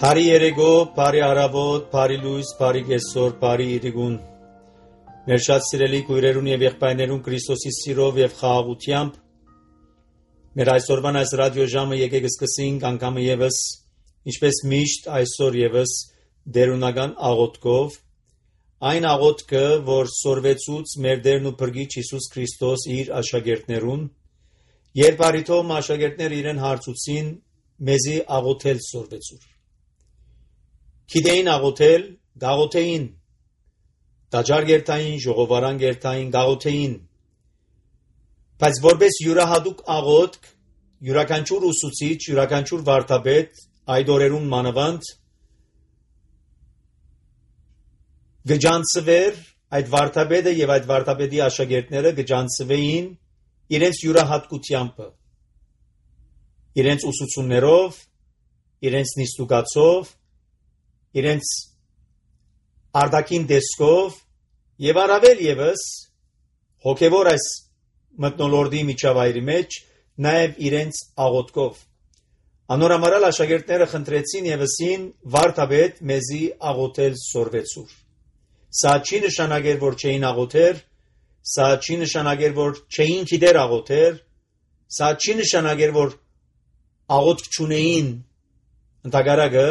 Բարի երեկո, բարի առավոտ, բարի լույս, բարի կեսօր, բարի իրիկուն։ Մեր շատ սիրելի քույրերուն եւ եղբայրներուն Քրիստոսի սիրով եւ խաղաղությամբ մեր այսօրվան այս ռադիոժամը եկեք սկսենք անգամը եւս ինչպես միշտ այսօր եւս դերունական աղոթքով այն աղոթքը, որ սորվեցուց մեր Տերն ու Փրկիչ Հիսուս Քրիստոս իր աշակերտներուն երբ արիթոմ աշակերտները իրեն հարցուցին մեզի աղոթել սորվեցուր Գիտեին աղոթել, գաղոթեին, տաճար գերտային, ժողովարան գերտային, գաղոթեին, բայց որպես յուրահատուկ աղոթք, յուրաքանչյուր ուսուցիչ, յուրաքանչյուր վարդապետ, այդ օրերուն մանավանդ, գջանցվեր, այդ վարդապետը եւ այդ վարդապետի աշակերտները գջանցվեին իրենց յուրահատկությամբ, իրենց ուսուցումներով, իրենց նիստուգացով, իրենց արդակին դեսքով եւ առավել եւս հոգեվոր այս մտնոլորդի միջավայրի մեջ նաեւ իրենց աղոթքով անորամարալ աշակերտները խնդրեցին եւսին վարդապետ մեզի աղոթել սորվեցուր սա չի նշանակեր որ չէին աղոթեր սա չի նշանակեր որ չէին գիտեր աղոթեր սա չի նշանակեր որ աղոթք չունեին ընդհանրակը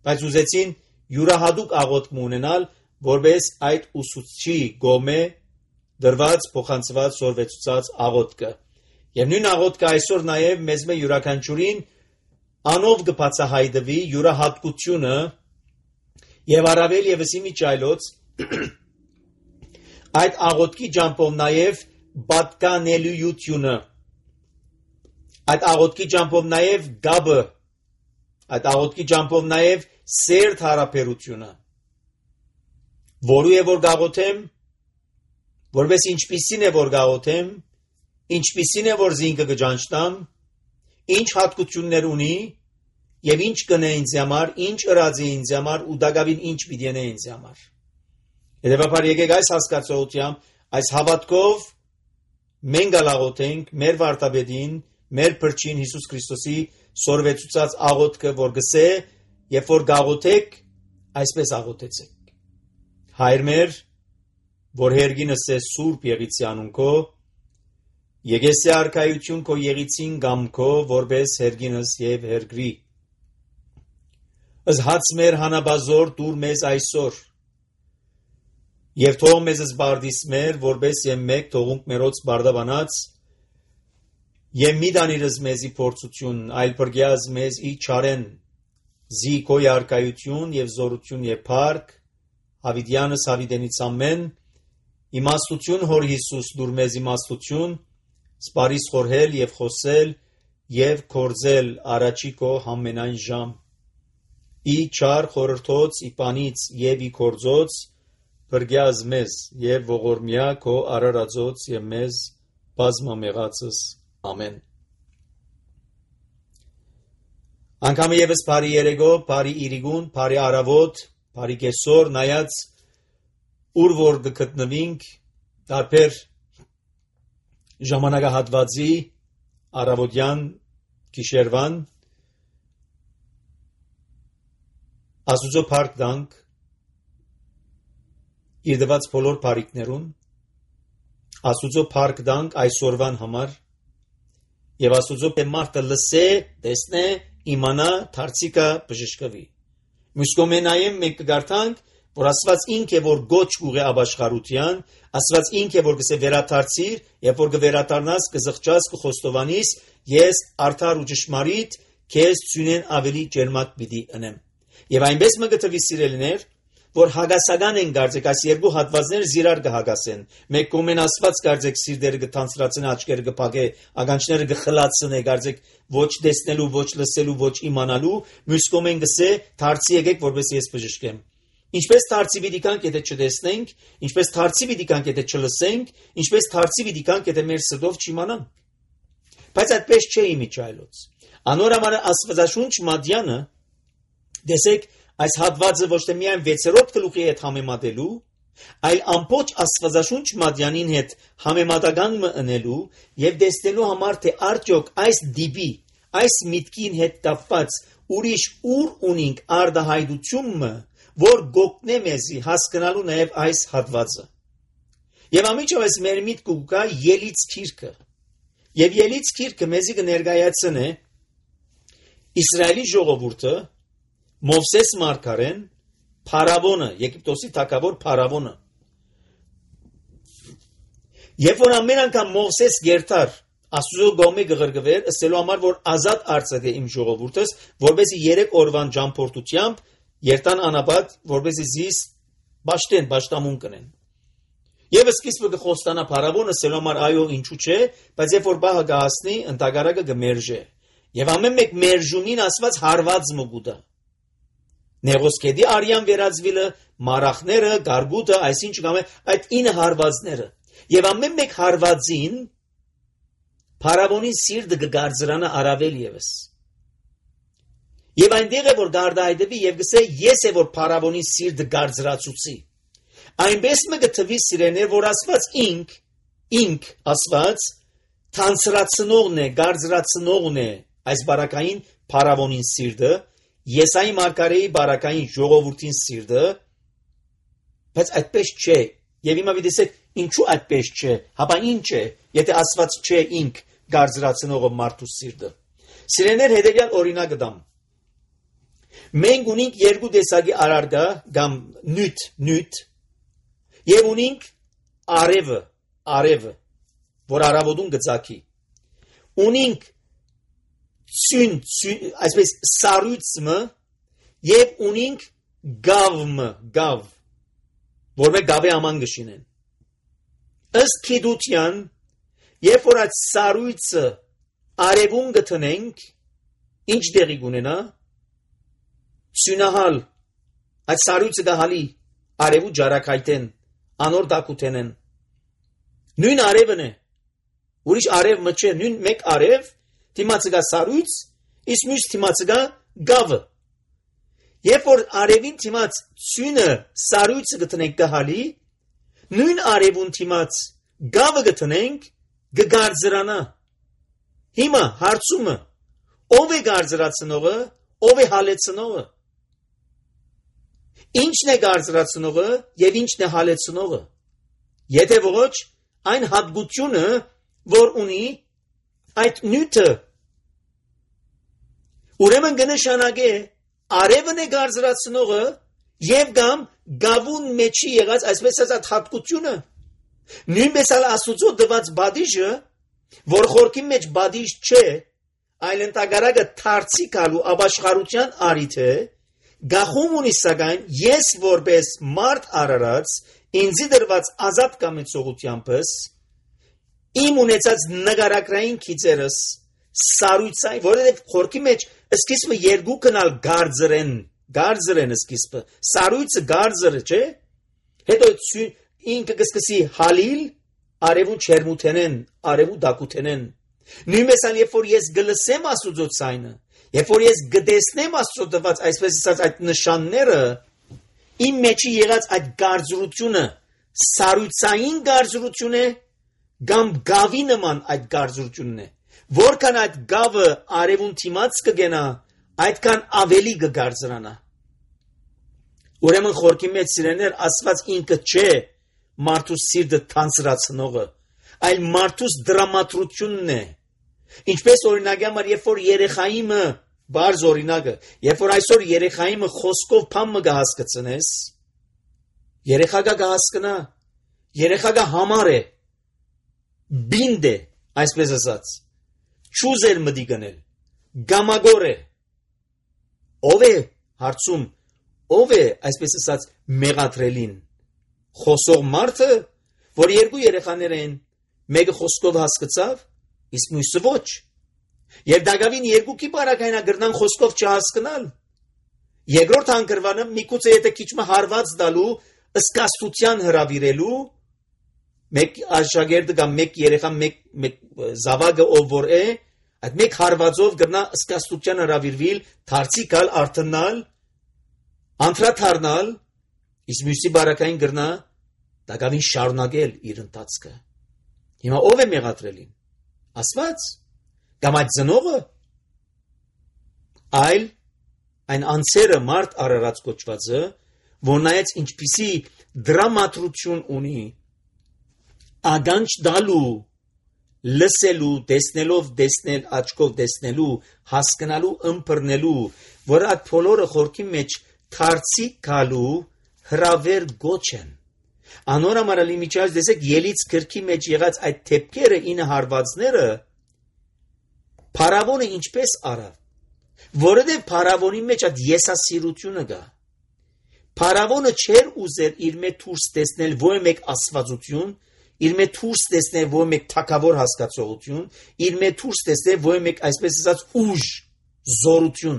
բայց ուզեցին յուրահատուկ աղոթք ունենալ, որպես այդ ուսուցչի գոմե դրված փոխանցված սորվեցուցած աղոթքը։ Եվ նույն աղոթքը այսօր նաև մեզ մե յուրաքանչյուրին անով կբացահայտվի յուրահատկությունը եւ առավել եւս իմիջայլոց այդ աղոթքի ջամփով նաև պատկանելիությունը այդ աղոթքի ջամփով նաև գաբը այդ աղոթքի ջամփով նաև սերտ հարաբերությունը որու է որ գաղոթեմ որպես ինչպիսին է որ գաղոթեմ ինչպիսին է որ զինքը գջանչտամ ինչ հատկություններ ունի եւ ինչ կնե ինձ համար ինչ ըրածի ինձ համար ու դակավին ինչ պիտի անե ինձ համար հետեւաբար եկեք այս հասկացողությամբ այս հավատքով մենք գաղոթենք մեր վարդապետին մեր Փրկին Հիսուս Քրիստոսի սորվեցուցած աղոթքը որ գսե Երբ որ գաղոթեք, այսպես աղոթեցեք։ Հայր մեր, որ հերգինս է սուրբ եղիցի անունքո, եկեսե արքայություն քո եղիցին գամքո, որպես հերգինս եւ հերգրի։ Ըս հաց մեր հանաբազոր դուր մեզ այսօր։ Եվ թող մեզ զբարդիս մեր, որպես եմ մեկ թողունք մերոց բարդաբանած, եւ մի դանիրս մեզի փորձություն, այլ բրգյազ մեզ ի չարեն Զի քո երկայություն եւ զորություն եւ փառք Հավիդյանս Հավիդենից ամեն իմաստություն հոր Հիսուս դուր մեզ իմաստություն սպարիս խորհել եւ խոսել եւ կորձել առաջի քո համենայն ժամ ի չար խորհրդոց ի պանից եւ ի կորձոց բրգյազ մեզ եւ ողորմյա քո արարածոց եւ մեզ բազմամեղածս ամեն Անկամը եւս բարի երեկո, բարի իրիկուն, բարի առավոտ, բարի կեսօր, նայած ուր որ գտնվինք, տարբեր ժամանակահատվածի առավոտյան գիշերվան Աստուծո փառք տանք իր դված բոլոր բարիքներուն Աստուծո փառք տանք այսօրվան համար եւ Աստուծո մարդը լսե, տեսնե իմանա դարձիկա բժշկվի Մուսկոմենայեմ մենք կգարտանք որ Աստված ինք է որ գոչ ուղի ապաշխարության Աստված ինք է որ գսե վերադարձիր եւ որ կվերադառնաս կզղջաս կխոստովանիս ես արդար ու ճշմարիտ քեզ ցունեն ավելի ջերմակ պիտի ընեմ եւ այնպես մը գտվի սիրելիներ որ հագասական են գարձեք այս երկու հատվածները զիրար կհագասեն մեկ կողմեն Աստված գարձեք սիրտերը կթանցրացնե աչքերը կփակե ագանչները կխլացնե գարձեք ոչ տեսնելու ոչ լսելու ոչ իմանալու մյուս կողմեն գսե դարձի եկեք որպես ես բժշկեմ ինչպես դարձի պիտի կանք եթե չտեսնենք ինչպես դարձի պիտի կանք եթե չլսենք ինչպես դարձի պիտի կանք եթե մեր սրտով չիմանանք բայց այդպես չէ իմիջայլոց անորամար Աստվածաշունչ Մատյանը դեսեք Այս հատվածը ոչ թե միայն 6-րդ գլուխի հետ համեմատելու, այլ ամբողջ Աստվածաշունչ Մատյանին հետ համեմատական մնելու եւ տեսնելու համար թե արդյոք այս դիպի, այս միտքին հետ կապված ուրիշ ուր ունինք արդահայտությունը, որ գոգնե մեզի հասկանալու նաև այս հատվածը։ Եվ ամիջովես մեր միտքը կա Ելից գիրքը։ Եվ Ելից գիրքը մեզի կներկայացնե Իսրայելի ժողովուրդը Մովսես մարգարեն Փարավոնը, Եգիպտոսի թագավոր Փարավոնը։ Երբ որ ամեն անգամ Մովսես երթար Աստծո գոմի գղրգվեր, ըստելու համար որ ազատ արծեթե իմ ժողովուրդս, որբեսի 3 օրվան ճամփորդությամբ երթան անապատ, որբեսի զիս բաշտամուն կնեն։ Եվ սկիզբը կխոստանա Փարավոնը, ըստելու համար այո ինչու չէ, բայց երբ որ բահը գահասնի, ընտագարակը կմերժե։ Եվ ամեն մեկ մերժումին ասված հարված մգուտա։ Նեղոսկեդի արյան վերածվիլը, մարախները, գարգուտը, այսինչ կամ այդ 9 հարվածները։ Եվ ամեն մեկ հարվածին Փարավոնի սիրտը կգարձրանա առավել ևս։ Եվ այնտեղ է որ գարդայդվի եւ գսե ես է որ Փարավոնի սիրտը գարձրացուցի։ Այնպես մը գտվի սիրեներ որ ասված ինք ասված թանցրացնողն է, գարձրացնողն է այս բարակային Փարավոնին սիրտը, Եսայի մարգարեի բարակային ժողովրդին սիրտը, բայց այդպես չէ։ Եվ հիմա դիտեք ինչու այդպես չէ, հապա ինչ է, եթե ասված չէ ինք գարձրացնողը մարդու սիրտը։ Սիրեներ հետևյալ օրինակը դամ։ Մենք ունենք երկու տեսակի արարգա կամ նյութ, եւ ունենք արևը, որ արավոտուն գծակի։ Ունենք այսպես սառույցը եւ ունենք գավ, որ մենք գավի աման գշինեն։ Ըստ քիդության, երբ որ այդ սառույցը արևուն գտնենք, ինչ դեղի կունենա։ Սյունահալ, այդ սառույցը գահալի արևու ջարակայտեն, անոր դակութենեն։ Նույն արևն է, ուրիշ արև մը չէ, նույն մեկ արև, թիմացը գա սառույց, իսկ մյուս թիմացը գա գավը։ Երբ որ արևին թիմաց սյունը սառույցը գտնենք գահալի, նույն արևուն թիմաց գավը գտնենք գգարձրանա։ Հիմա հարցումը ով է գարձրացնողը, ով է հալեցնողը։ Ինչն է գարձրացնողը եւ ինչն է հալեցնողը։ Եթե ոչ, այն հատկությունը, որ ունի այդ նյութը, ուրեմն կնշանակե արևն է գարձրացնողը եւ կամ գավուն մեջի եղած այսպես ասած հատկությունը։ Նույնպես էլ Աստծո դված բադիժը, որ խորքի մեջ բադիժ չէ, այլ ընտագարակը թարցի գալու ապաշխարության արիթ է, գախում ունի սակայն ես որպես մարդ արարած ինձի դրված ազատ կամեցողությանպես իմ ունեցած նգարակրային քիծերս սառույցային, որովհետև խորքի մեջ սկիզբը երկու կնալ գարձրեն սկիզբը, սառույցը գարձրը չէ, հետո ինքը կսկսի հալիլ, արևու չերմութենեն, արևու դակութենեն։ Նույնպես էլ երբ որ ես գլսեմ Աստծո ցայնը, երբ որ ես գտեսնեմ Աստծո տված այսպես ասած այդ նշանները, իմ մեջի եղած այդ գարձրությունը սառույցային գարձրություն է, կամ գավի նման այդ գարձրությունն է։ Որքան այդ գավը արևուն թիմաց կգենա, այդքան ավելի կգարձրանա։ Ուրեմն խորքի մեջ սիրեներ ասված ինքը չէ մարդու սիրտը թանցրացնողը, այլ մարդուս դրամատրությունն է։ Ինչպես օրինակ համար, երբ որ երեխայիմը բարձ օրինակը, երբ որ այսօր երեխայիմը խոսքով փամը կհասկացնես, երեխակը կհասկնա, երեխակը համար է, բինդ է, այսպես ասած, չուզեր մտի գնել, գամագոր է, ով է հարցում, ով է այսպես ասած մեղադրելին, խոսող մարդը, որ երկու երեխաներ են, մեկը խոսքով հասկացավ, իսկ մյուսը ոչ, եւ դակավին երկուքի բարակայնա գրնան խոսքով չհասկանալ, երկրորդ հանգրվանը միգուցե եթե քիչ մը հարված տալու, ըսկաստության հրավիրելու, մեկ աշակերտը կամ մեկ երեխա, մեկ զավակը ով որ է, այդ մեկ հարվածով գրնա ըսկաստության հրավիրվիլ, դարձի գալ արթնալ, անդրադառնալ, իսկ մյուսի բարակային գրնա դակավին շարունակել իր ընթացքը։ Հիմա ով է մեղադրելին։ Աստված կամ այդ ծնողը, այլ այն անձերը մարդ արարած կոչվածը, որ նայեց ինչպիսի դրամատրություն ունի, ագանջ դալու, լսելու, տեսնելով տեսնել, աչքով տեսնելու, հասկանալու, ըմբռնելու, որ այդ բոլորը խորքի մեջ թարցիկ գալու հրավեր գոչ են։ Անոր համար լիմիջած դեսեք ելից գրքի մեջ եղած այդ թեփքերը ինը հարվածները Փարավոնը ինչպես արավ, որովհետև Փարավոնի մեջ այդ եսասիրությունը կա։ Փարավոնը չէր ուզեր իր մեջ դուրս տեսնել ոչ մեկ աստվածություն, իր մեջ դուրս տեսնել ոչ մեկ թակավոր հասկացողություն, իր մեջ դուրս տեսնել ոչ մեկ այսպես ասած ուժ, զորություն։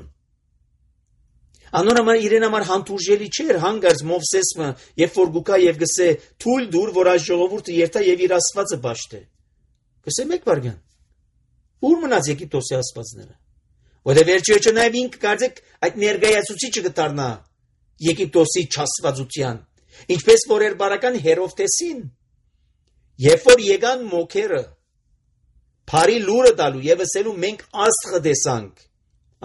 Անոր համար իրեն համար հանդուրժելի չէր հանգարց Մովսեսը, երբ որ գուկա եւ գսե թույլ դուր, որ այս ժողովուրդը երթա եւ իր աստվածը ճաշտե։ Գսե մեկ վարյան։ Ուր մնաց Եգիպտոսի աստվածները։ Որտեղ վերջիոճը նաեւ ինքը կարծեք այդ ներգայացուցիչը կդառնա Եգիպտոսի չաստվածության, ինչպես որ էր բարական Հերովտեսին, երբ որ եկան մոքերը, բարի լուրը տալու եւ ասելու մենք աստղը տեսանք,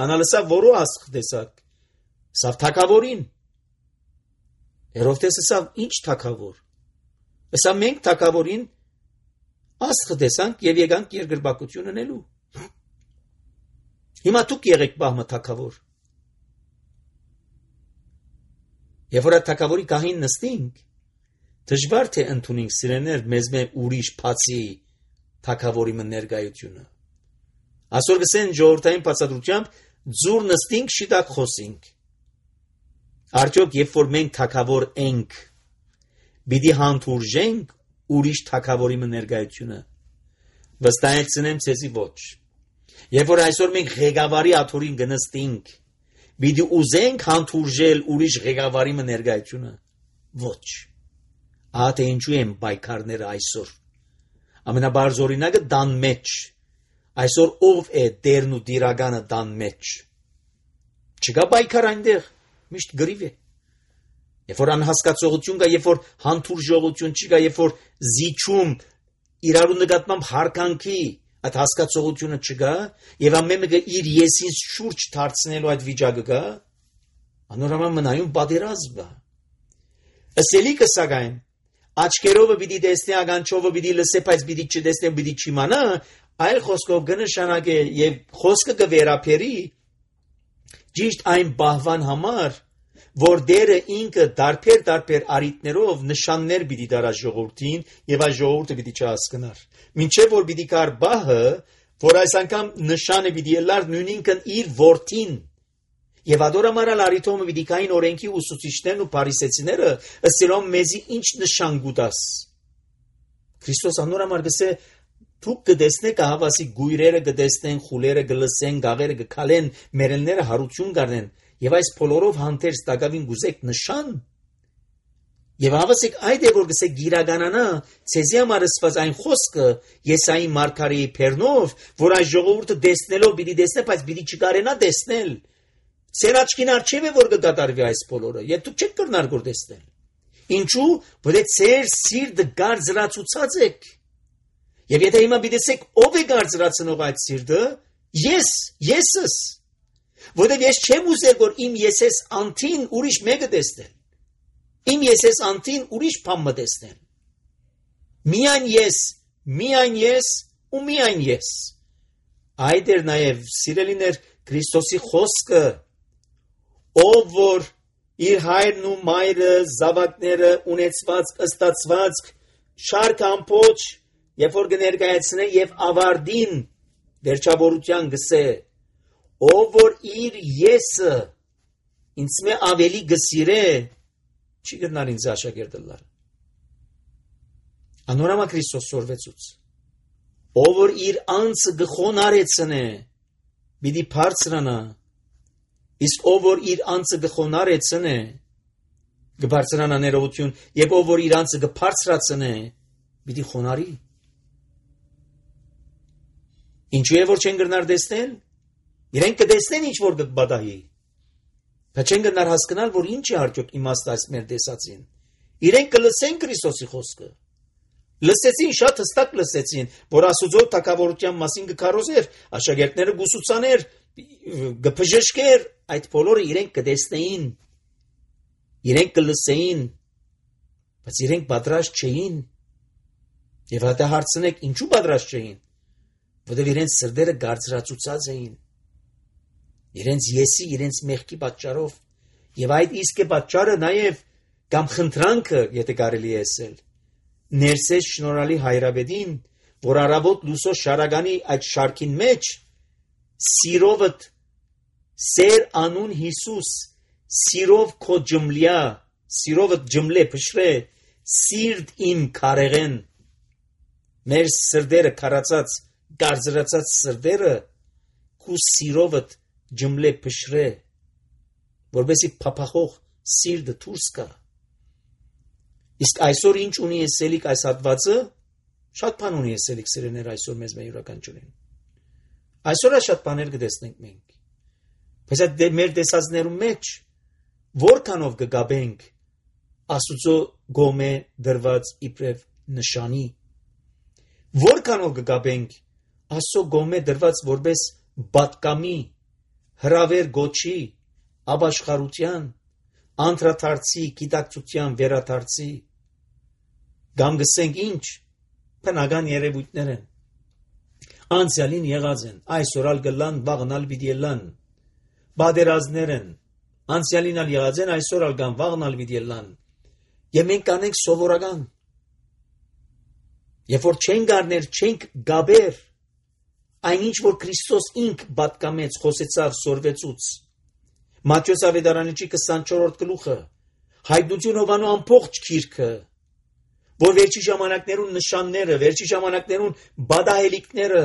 անալսա որո աստղ տեսակ, սավ թակավորին, Հերովտեսը սավ ինչ թակավոր, սա մենք թակավորին աստղը տեսանք եւ եկանք երկրպագություն ունելու, հիմա դուք եղեք բահմը թակավոր, Եվ որ այդ թակավորի գահին նստինք, դժվար թե ընդունենք սիրեներ մեզ մեր ուրիշ բացի թակավորի ներկայությունը։ Այսօր գսեն ժողովրդային բացատրությամբ ձուր նստինք, շիտակ խոսինք։ Արդյոք երբ որ մենք թակավոր ենք, պիտի հանդուրժենք ուրիշ թակավորի ներկայությունը։ Վստահեցնեմ ցեզի ոչ։ Երբ որ այսօր մենք ղեկավարի աթորին գնստինք, Պիտի ուզենք հանդուրժել ուրիշ ղեկավարի ներկայությունը։ Ոչ։ Ահա ինչու են պայքարները այսօր։ Ամենաբարձ օրինակը դան մեջ։ Այսօր ով է դերն ու դիրականը դան մեջ։ Չկա պայքար այնտեղ, միշտ գրիվ է։ Երբ որ անհասկացողություն կա, երբ որ հանդուրժողություն չկա, երբ որ զիջում իրարու նկատմամբ հարկանքի այդ հասկացողությունը չկա, եւ ամեն մեկը իր եսին շուրջ դարձնելու այդ վիճակը կա, անորոշ մնայուն պատերազմ կա։ Ասելիքը սակայն աչքերով պիտի տեսնի, ականջով պիտի լսե, բայց պիտի չտեսնի, պիտի չիմանա, այլ խոսքով կնշանակե եւ խոսքը կվերապերի ճիշտ այն բահվան համար, որ դերը ինքը դարբեր արիտներով նշաններ պիտի դարա ժողովրդին եւ այս ժողովուրդը պիտի չհասկանար։ Մինչեւ որ պիտի կար բահը, որ այս անգամ նշանը պիտի ելար նույնինքն իր որդին եւ ադորամարալ արիտոմը պիտի կային օրենքի ուսուցիչներն ու փարիսեցիները ըսելով մեզի ինչ նշան գուտաս։ Քրիստոս անորամար գսե դուք կտեսնեք ահավասի գույրերը կտեսնեն, խուլերը կլսեն, գաղերը կքալեն, մերելները հարություն կառնեն եւ այս բոլորով հանդերձ տակավին գուզեք նշան եւ հավասիկ այդ է որ գսե գիրականանա ցեզի համար ասված այն խոսքը Եսայի մարգարեի փերնով որ այս ժողովուրդը տեսնելով պիտի տեսնե բայց պիտի չկարենա տեսնել ցեր աչքին արչև է որ կդատարվի այս բոլորը եւ դուք չեք կրնար գոր տեսնել ինչու որ ցեր սիրտը գարձրացուցած եք եւ եթե հիմա պիտեսեք ով է գարձրացնող այդ սիրտը եսս Որտեղ ես չեմ ուզել որ իմ եսես անտին ուրիշ մեկը տեսնել։ Իմ եսես անտին ուրիշ բան տեսնել։ Միայն ես ու միայն ես։ Այդ էր նաև սիրելիներ Քրիստոսի խոսքը, ով որ իր հայրն ու մայրը, զավակները ունեցված, ըստացված, շարք ամբողջ, երբ որ կներկայացնե եւ ավարտին վերջավորության գսե ով որ իր եսը ինձ մե ավելի գսիրե չի գտնար ինձ աշակերտելար անորամա Քրիստոս սորվեցուց ով որ իր անձը գխոնարեցնե պիտի բարձրանա իսկ ով որ իր անձը գխոնարեցնե կբարձրանա ներողություն եւ ով որ իր անձը կբարձրացնե պիտի խոնարի ինչու է որ չեն գտնար տեսնել Իրենք կտեսնեն ինչ որ կբադահի բայց չեն գնար հասկանալ որ ինչ է արդյոք իմաստը այս մեր տեսածին իրենք կլսեն Քրիստոսի խոսքը լսեցին շատ հստակ լսեցին որ Աստծո թագավորության մասին կքարոզեր աշակերտները գուսուցաներ գփժշկեր, այդ բոլորը իրենք կտեսնեին, իրենք կլսեին, բայց իրենք պատրաստ չէին։ Եվ հատա հարցնեք, ինչու պատրաստ չէին, որովհետև իրենց սրտերը գարձրացուցած էին, իրենց եսի, իրենց մեղքի պատճառով, եւ այդ իսկ է պատճառը նաեւ կամ խնդրանքը, եթե կարելի է ասել, ներսես շնորհալի հայրաբեդին, որ առավոտ լուսո շարագանի այդ շարքին մեջ սիրովդ սեր անուն Հիսուս, սիրով քո ջմլյա, սիրովդ ջմլե փշրե, սիրտ իմ քարեղեն, մեր սրդերը քարացած, գարձրացած սրդերը, քու սիրովդ ջմլե փշրե, որովհետեւ փափախող սիրտը դուրս կա։ Իսկ այսօր ինչ ունի եսելիք այս հատվածը, շատ բան ունի եսելիք սերեներ այսօր մեզ յուրաքանչյուրին։ Այսօր շատ բաներ կտեսնենք մենք։ Բայց այդ մեր տեսածներում մեջ որքանով կգաբենք Աստծո գոմե դրված իբրև նշանի, որքանով կգաբենք Աստծո գոմե դրված որպես բատկամի, հրավեր գոչի, ապաշխարության, անդրադարձի, գիտակցության վերադարձի, կամ գսենք ինչ, բնական երևույթներ են, անցյալին եղած են, այսօր գլան, վաղնալ պիտի բادرազներ են, անցյալին եղած են, այսօր գան, վաղնալ պիտի եւ մենք կանենք սովորական, երբ որ չենք առներ, չենք գաբեր, այնինչ որ Քրիստոս ինք պատկամեց, խոսեցավ, սորվեցուց, Մատթեոս ավետարանի 24-րդ գլուխը, հայտնություն Հովանու ամբողջ գիրքը, որ վերջի ժամանակներուն նշանները, վերջի ժամանակներուն բադահելիքները,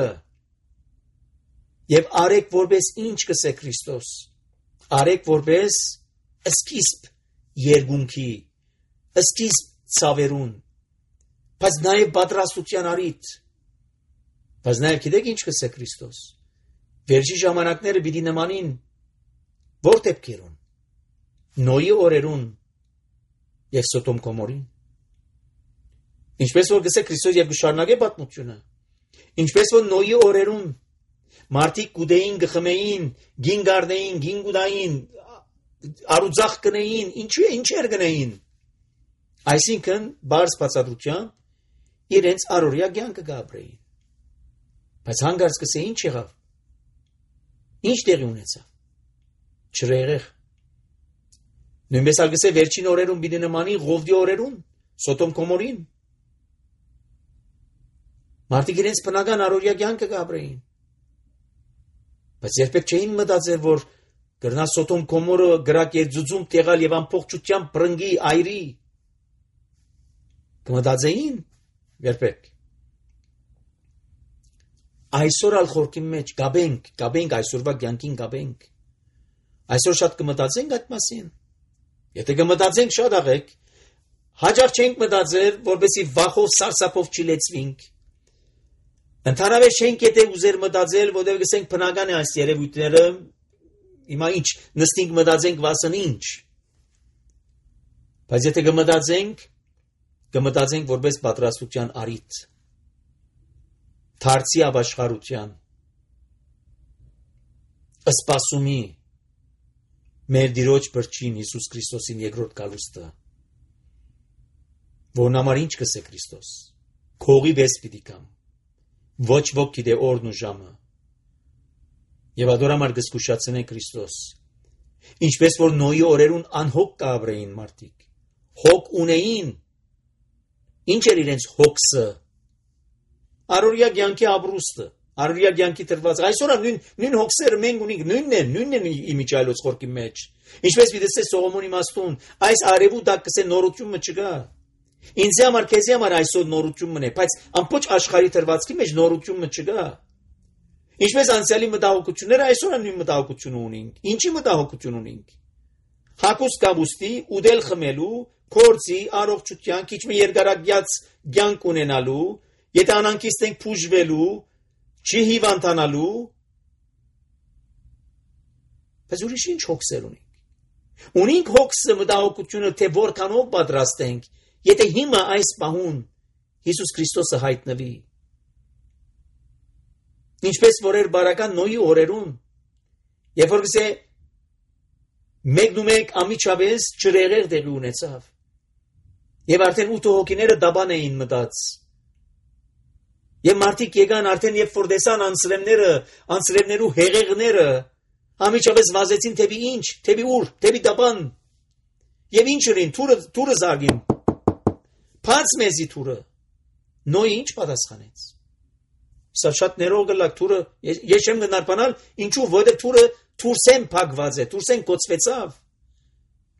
եւ արեք որպես ինչ կսե Քրիստոս, արեք որպես սկիզբ երկունքի, սկիզբ ցավերուն, բայց նաեւ պատրաստության արիթ, բայց նաեւ գիտեք ինչ կսե Քրիստոս, վերջի ժամանակները պիտի նմանին որ դեպքերուն, Նոյի օրերուն եւ Սոդոմ Գոմորին, ինչպես որ գսե Քրիստոս եւ գշարունակե պատմությունը, ինչպես որ Նոյի օրերուն մարդիկ գուդեին, գխմեին, գին գարդեին, գին գուդային, արուձախ կնեին, ինչեր կնեին, այսինքն բարձ բացատրությամբ իրենց առօրյա կյանքը գաբրեին, բայց հանգարց գսե ինչ եղավ, ինչ տեղի ունեցավ, չրեղեղ, նույնպես ալգսե վերջին օրերուն պիտի նմանի Ղովդի օրերուն, Սոդոմ Գոմորին, մարդիկ իրենց բնական առօրյա կյանքը գաբրեին, բայց երբեք չէին մտածել, որ գրնա Սոդոմ Գոմորը գրակ երձուծում տեղալ եւ ամբողջությամբ բրնգի այրի, կմտածեին երբեք, այսօր ալ խորքի մեջ գաբենք այսօրվա կյանքին գաբենք, այսօր շատ կմտածենք այդ մասին, եթե կմտածենք շատ աղեք, հաջող չենք մտածել, որպեսի վախով սարսափով չլեցվենք, ընդհանրապես չենք եթե ուզեր մտածել, որտեղ գսենք բնական է այս երևույթները, հիմա ինչ նստենք մտածենք վասն ինչ, բայց եթե կմտածենք որպես պատրաստության արիթ, դարձի ապաշխարության, սպասումի, մեր Տիրոջ Փրկին Հիսուս Քրիստոսին երկրորդ գալուստը, որն համար ինչ կսե Քրիստոս, քողի վես պիտի կամ, ոչ ոք գիտե օրն ու ժամը, եւ ադորամար գսկուշացնե Քրիստոս, ինչպես որ Նոյի օրերուն անհոգ կաբրեին մարդիկ, հոգ ունեին, ինչ էր իրենց հոգսը, առօրյա կյանքի ապրուստը, առօրյա կյանքի տրված, այսօր նույն հոգսերը մենք ունենք, նույնն են իմիջայլոց խորքի մեջ, ինչպես պիտի Սողոմոնի իմաստուն, այս արևուտակ կսե նորությունը չկա, ինձ համար, քեզի համար այսօր նորությունն է, բայց ամբողջ աշխարհի տրվածքի մեջ նորությունը չկա, ինչպես անցյալի մտահոգությունները այսօր նույն մտահոգությունը ունենք, ինչի մտահոգություն ունենք, հակոս կաբուստի, ուդել խմելու, կորցի, առողջության, քիչ մի երկարագյաց կյանք ունենալու, եթե անանկիստ ենք փուժվելու, չի հիվանդանալու, բայց ուրիշ ինչ հոգսեր ունենք։ Ունենք հոգսը մտահոգությունը, թե որքանով պատրաստ ենք, եթե հիմա այս պահուն Հիսուս Քրիստոսը հայտնվի։ Ինչպես որ էր բարական Նոյի օրերուն, Երբ որ գսե մեկ ամիջապես ջրեղեղ տեղի ունեցավ։ Եվ արդեն 8 հոգիները դաբան էին մտած։ Եվ մարդիկ եկան արդեն երբ որ տեսան անսրևներու հեղեղները, ամիջապես վազեցին թեպի ինչ, թեպի ուր, թեպի դաբան։ Եվ ինչ ըրին, թուրը զարգին։ Փած մեզի թուրը։ Նոյը ինչ պատասխանեց։ Սա շատ ներող գլակ թուրը, ես չեմ գնարբանալ, ինչու, որտեղ թուրը թուրսեն փակված է, թուրսեն կոծվեցավ։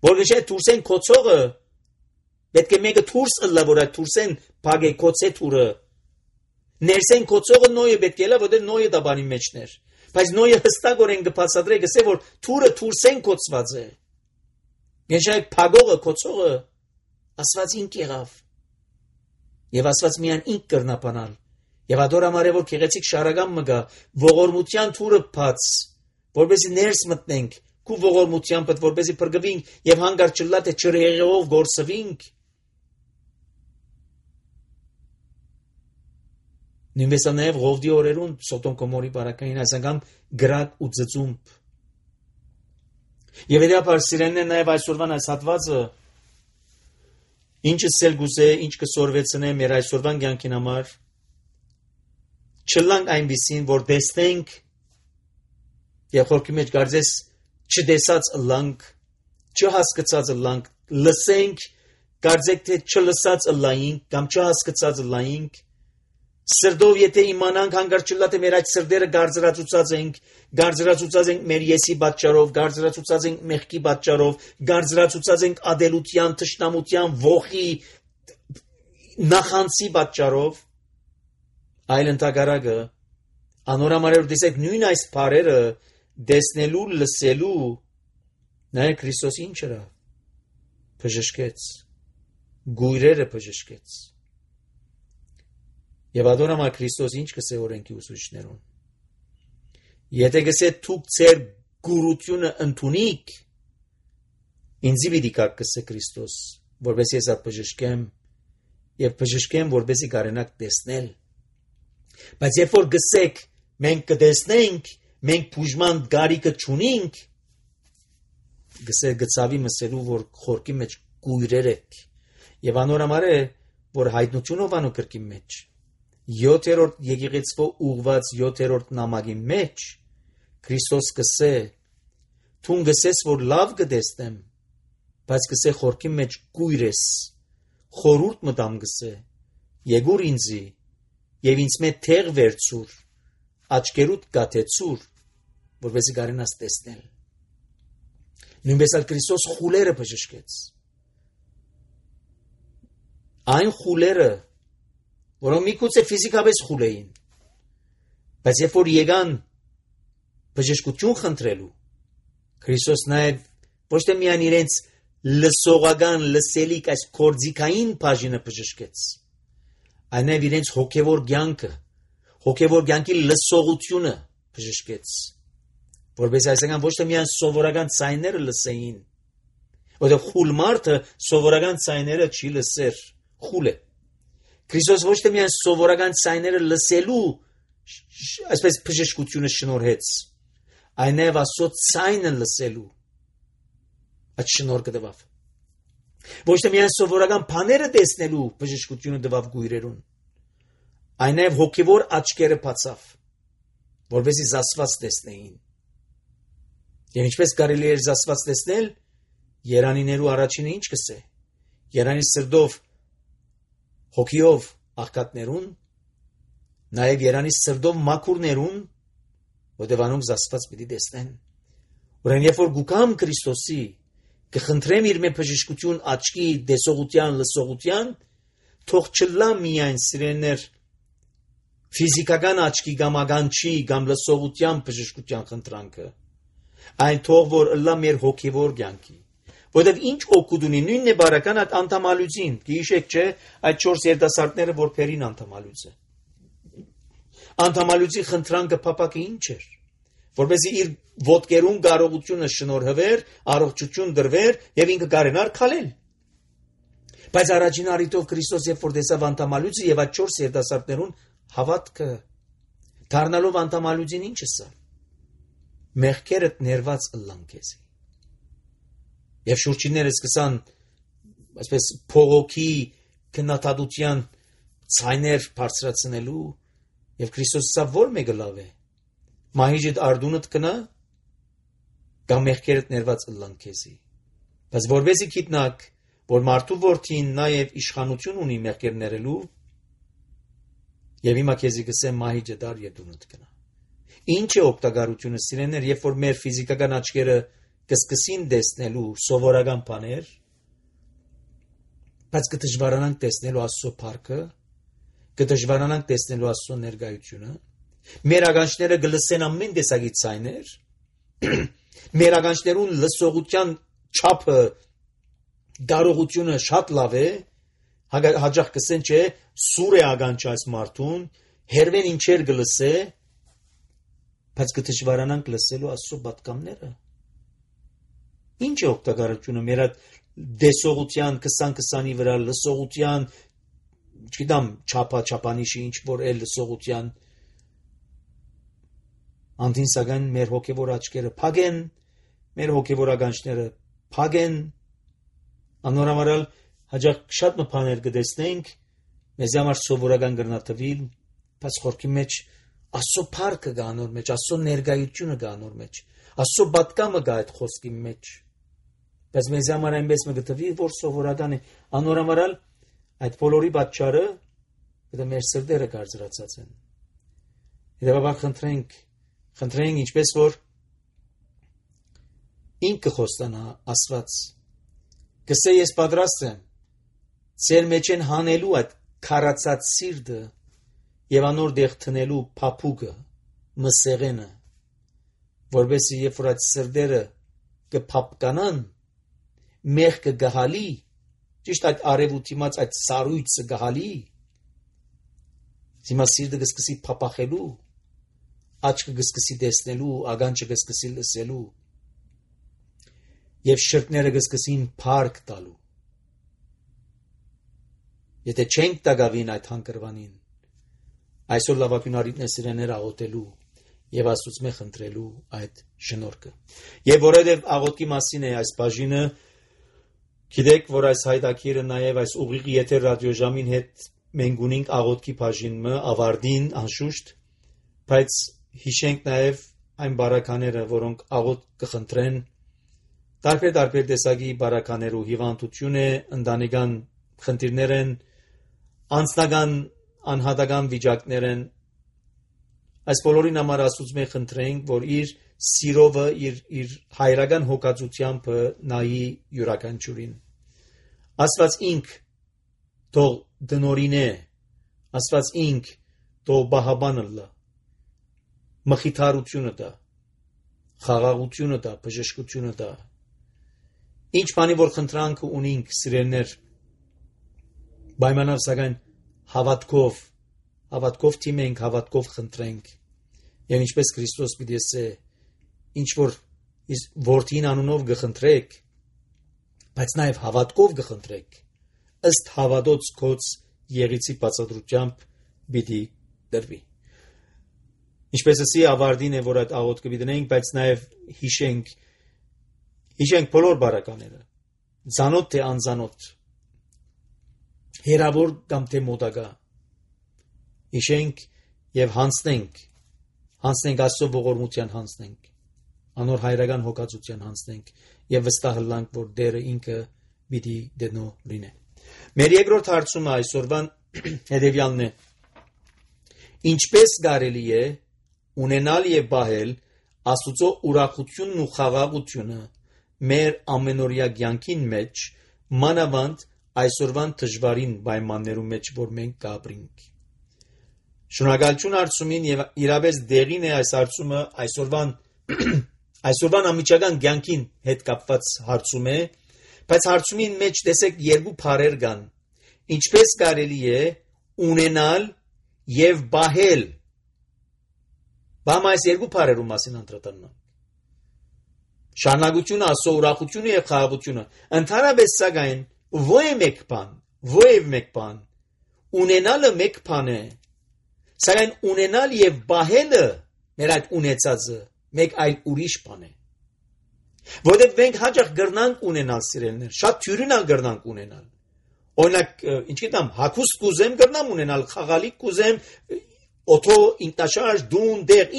Որովհետեւ թուրսեն կոծողը պետք է մեկը թուրս ըլլա, որ այդ թուրսեն փակե կոծե թուրը։ Ներսեն կոծողը նոյը պետք է լա, որտեղ նոյը դաբանի մեջներ։ Բայց նոյը հստակորեն կբացատրե, գսե որ թուրը թուրսեն կոծված է։ Գեշայ փագողը կոծողը ասված ինք եղավ։ Եվ ասված միան ինք կրնապանալ։ Եվ ադոր ամարե որ քեղեցիկ շարագամ մգա ողորմության թուրը բաց, որբեսի ներս մտնենք, քու ողորմությամբ, որբեսի փրկվենք եւ հանգար չլա թե ջրեղեղով գործվենք։ Նույնպես նաև Ղովդի օրերուն Սոդոմ Գոմորի բարակային այսանգամ գրակ ու ծծումբ։ Եվ իրապար սիրենն նաև այսօրվան այս հատվածը ինչը սել գուզե, ինչ կսորվեցնե մեր այսօրվան կյանքին համար չլանք այնպիսին, որ տեսնենք եւ խորքի մեջ գարձես չտեսած ըլլանք, չհասկացած ըլլանք, լսենք, գարձեք թե չլսած ըլլայինք կամ չհասկացած ըլլայինք, սրդով եթե իմանանք հանգարց չլա թե մեր այդ սրդերը գարձրացուցած ենք մեր եսի պատճառով, գարձրացուցած ենք մեղքի պատճառով, գարձրացուցած ենք ադելության, թշնամության, ողի, նախանցի պատճառով, այլ ընդհակառակը անորամարեր տեսեք նույն այս բառերը դեսնելու, լսելու նայեք Քրիստոս ինչ էր բժշկեց, գույրերը բժշկեց։ Եվ ադորամա Քրիստոս ինչ կսե օրենքի ուսուցիչներուն։ Եթե գսե թուք ձեր գուրությունը ընդունիք, ինձի պիտի կակ կսե Քրիստոս, որբեսի ես բժշկեմ եւ բժշկեմ, որբեսի կարենաք տեսնել։ Բայց երբ որ գսեք մենք կտեսնենք, մենք բուժման գարիկը չունենք, գսե գծավի մսելու, որ խորքի մեջ գույրեր եք։ Եվ անորամար է, որ հայտնությունով անու կրկի մեջ 7-րդ եկեղեցվո ուղված 7-րդ նամակի մեջ Քրիստոս կսե թուն գսես որ լավ կտեսնեմ, բայց գսե խորքի մեջ գույր ես, խորուրդ մտամ գսե, եկուր ինձի եւ ինձ մեծ թեղ վերցուր, աչքերուդ գաթեցուր, որովհետեւ կարենաս տեսնել։ Նույնպես էլ Քրիստոս խուլերը բժշկեց։ Այն խուլերը որոնք միգուցե ֆիզիկապես խուլ էին, բայց երբ որ եկան բժշկություն խնդրելու, Քրիստոս նաև ոչ թե միայն իրենց լսողական, լսելիք այս կորձիկային բաժինը բժշկեց, այլ նաև իրենց հոգևոր կյանքի լսողությունը բժշկեց, որպես այսինքն ոչ թե միայն սովորական ցայները լսեին, որովհետև խուլ մարդը սովորական ցայները չի լսեր, խուլ է։ Քրիստոս ոչ թե միայն սովորական ցայները լսելու այսպես բժշկությունը շնորհեց, այլ նաև Աստծո ցայնը լսելու այդ շնորհքը տվավ։ Ոչ թե միայն սովորական բաները տեսնելու բժշկությունը տվավ գույրերուն, այլ նաև հոգևոր աչքերը բացավ, որովհետեւ զասված տեսնեին։ Եվ ինչպես կարելի է զասված տեսնել, երանիներու առաջինը ինչ կսե։ Երանի սրդով հոգիով աղքատներուն, նաև երանի սրդով մաքուրներուն, որտեղ անոնք զասված պիտի տեսնեն։ Ուրեմն երբ որ գուկամ Քրիստոսի, կխնդրեմ իր մե բժշկություն աչքի, տեսողության, լսողության, թող չլա միայն սիրելիներ ֆիզիկական աչքի կամ ագանչի կամ լսողության բժշկության խնդրանքը, այն թող որ լա մեր հոգևոր կյանքի։ Որտեւ ինչ օգուտ ունի նույնն է բարական այդ անդամալուծին, գիշեք չէ, այդ 4 երիտասարդները որ փերին անդամալուծը։ Անդամալուծի խնդրանքը փապակը ինչ էր, որպեսզի իր ոտքերուն կարողությունը շնորհվեր, առողջություն դրվեր եւ ինքը կարենար քալել։ Բայց առաջին առիթով Քրիստոս երբ որ տեսավ անդամալուծը եւ այդ 4 երիտասարդներուն հավատքը, դառնալով անդամալուծին ինչը սա։ մեղքերդ ներված ըլլան քեզի։ Եվ շուրջինները սկսան այսպես փողոքի քննադատության ցայներ բարձրացնելու եւ Քրիստոսը որ մեկը լավ է։ Մահիջդ արդունդ կնա կամ մեղքերդ ներված ըլլան քեզի։ Բայց որովհետեւ գիտնակ, որ մարդու որդին նաեւ իշխանություն ունի մեղքեր ներելու, եւ հիմա քեզի գսեմ մահիջդ ար եւ դունդ կնա։ Ինչ է օգտակարությունը սիրեներ, երբ որ մեր ֆիզիկական աչքերը կսկսին տեսնելու սովորական բաներ, բայց կդժվարանանք տեսնելու Աստծո փառքը, կդժվարանանք տեսնելու Աստծո ներկայությունը, մեր ականջները կլսեն ամեն տեսակի ցայներ, մեր ականջներուն լսողության չափը, դարողությունը շատ լավ է, հաջող կսեն չէ, սուր է ականջը այս մարդուն, հերվեն ինչեր կլսե, բայց կդժվարանանք լսելու Աստծո պատգամները։ Ինչ է օգտակարությունը մեր դեսողության 20-20-ի վրա լսողության, չգիտեմ, չափանիշի ինչ որ էլ լսողության անդին սակայն մեր հոգևոր աչքերը փագեն, մեր հոգևոր ականջները փագեն, անորամարալ հաջող շատ մփաներ կտեսնենք, մեզ համար սովորական գրնաթվիլ, բայց խորքի մեջ Աստծո փառքը կա անոր մեջ, Աստծո ներկայությունը կա անոր մեջ, Աստծո պատկամը կա այդ խոսքի մեջ։ Բայց մեզ համար այնպես մը գտվի, որ սովորական է, անորամարալ այդ բոլորի պատճառը դա մեր սրտերը կարծրացած են։ Հետևաբար խնդրենք ինչպես որ ինքը խոստանա Աստված։ Գսե ես պատրաստ եմ ձեր մեջ են հանելու այդ քարացած սիրտը եւ անոր դեղ տնելու փափուկը, մսեղենը, որովհետեւ երբ որ այդ սրտերը կփապկանան, մեղքը գահալի, ճիշտ այդ արևուտիմաց այդ սարույցը գահալի, հիմա սիրտը կսկսի փապախելու, աչքը կսկսի տեսնելու, ականջը կսկսի լսելու, եւ շրթները կսկսին փառք տալու։ Եթե չենք տագավին այդ հանգրվանին, այսօր լավագույն արիտներ աղոթելու եւ Աստծո խնդրելու այդ շնորհքը։ Եվ որովհետեւ աղոթքի մասին է այս բաժինը, գիտեք, որ այս հայտակիրը նաեւ այս ուղիղ եթեր ռադիոժամին հետ մենք ունենք աղոթքի բաժինը ավարտին անշուշտ, բայց հիշենք նաեւ այն բարակաները, որոնք աղոթ կխնդրեն, տարբեր տեսակի բարականերու հիվանդություն է, ընտանեկան խնդիրներ են, անձնական անհատական վիճակներ են, այս բոլորին համար Աստծո խնդրենք, որ իր սիրովը, իր հայրական հոգացությամբ նայի յուրաքանչյուրին։ Աստված ինք թող դնորին է, Աստված ինք թող բահաբանը լա, մխիթարությունը դա, խաղաղությունը դա, բժշկությունը դա։ Ինչ բանի որ խնդրանքը ունենք սիրելներ, պայմանավ սակայն հավատքով թիմենք, հավատքով խնդրենք, եւ ինչպես Քրիստոս պիտի ասե, ինչ որ որդին անունով գխնդրեք, բայց նաեւ հավատքով գխնդրեք, ըստ հավատոց կոց եղիցի բացատրությամբ պիտի դրվի։ Ինչպես ասի ավարտին է, որ այդ աղոթքը պիտի դնենք, բայց նաեւ հիշենք բոլոր բարակաները, ցանոթ թե անցանոթ, հերավոր կամ թե մոտակա, հիշենք եւ հանցնենք Աստծո ողորմության հանցնենք, անոր հայրական հոգացության հանցնենք եւ վստահ լանք, որ Տերը ինքը պիտի դնո լինե։ Մեր երկրորդ հարցումը այսօրվան հետեւյալն է. ինչպես կարելի է ունենալ եւ բահել Աստծո ուրախությունն ու խաղաղությունը մեր ամենօրյա կյանքին մեջ, մանավանդ այսօրվան դժվարին պայմաններում մեջ, որ մենք կապրենք։ Շնորհակալություն հարցումին եւ իրապես դեղին է այս հարցումը այսօրվան ամիջական կյանքին հետ կապված հարցում է, բայց հարցումին մեջ տեսեք երկու բառեր կան. ինչպես կարելի է ունենալ եւ բահել։ Բայց այս երկու բառերու մասին անդրադառնանք։ Շարունակությունը, Աստծո ուրախությունը եւ խաղաղությունը, ընդհանրապես սակայն ո՞և մեկ բան, ունենալը մեկ բան է, սակայն ունենալ եւ բահելը մեր այդ ունեցածը մեկ այլ ուրիշ բան է։ Որտեղ մենք հաճախ գրնանք ունենալ սիրելիներ, շատ թյուրինալ գրնանք ունենալ։ Օրինակ, ինչ գիտեմ, հագուստ կուզեմ գրնամ ունենալ, խաղալիք կուզեմ, օթո, ինքնաշարժ, դուն, դեղ,